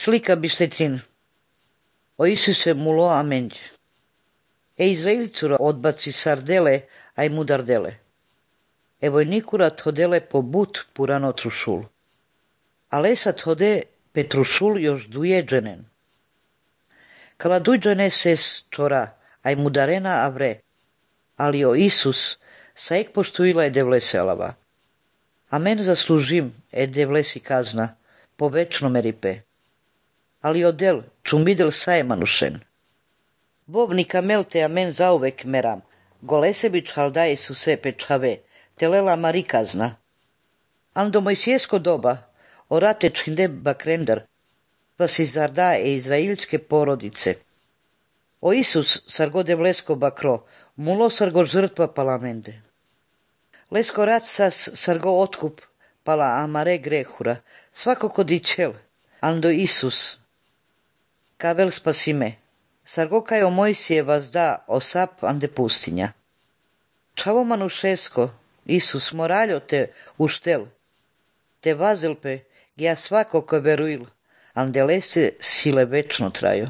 Slika bištetin. O Isuse mulo amenj. Izraelcura odbaci sardele, aj mudardele. Evojnikura thodele pobut purano trušul. Alesa thode petrušul još dujeđenen. Kala dujeđene ses tora, aj mudarena avre. Ali o Isus sa ek poštuila je devleselava. Amen zaslužim devlesi kazna, po večno meripe. Ali odel čumidel saemanušen. Bovnika melte amen zauvek meram, golesebić halda Isuse pečave, telela mari kazna. Ando mojsijesko doba, orate činde bakrendar, pa si zarda izraelske porodice. O Isus sargo devlesko bakro, mulo sargo žrtva palamende. Lesko rat sas sargo otkup, pala amare grehura, svako kodičel, ando Isus. Kavel spasime, sargo kajo Mojsije vas da osap ande pustinja. Čavo manušesko, Isus moraljo te uštel, te vazelpe, ja svako ko veruil, ande leste sile večno traju.